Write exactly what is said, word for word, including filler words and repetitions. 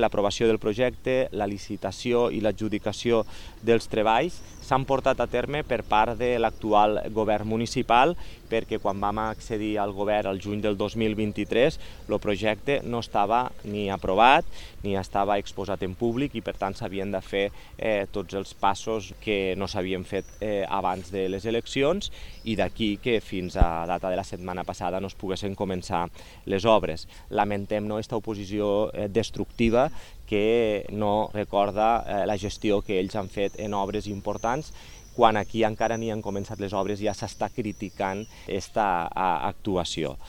L'aprovació del projecte, la licitació i l'adjudicació dels treballs s'han portat a terme per part de l'actual govern municipal, perquè quan vam accedir al govern el juny del dos mil vint-i-tres el projecte no estava ni aprovat ni estava exposat en públic i per tant s'havien de fer eh, tots els passos que no s'havien fet eh, abans de les eleccions i d'aquí que fins a data de la setmana passada no es poguessin començar les obres. Lamentem no, aquesta oposició eh, destructiva que no recorda eh, la gestió que ells han fet en obres importants, quan aquí encara ni han començat les obres ja s'està criticant aquesta actuació.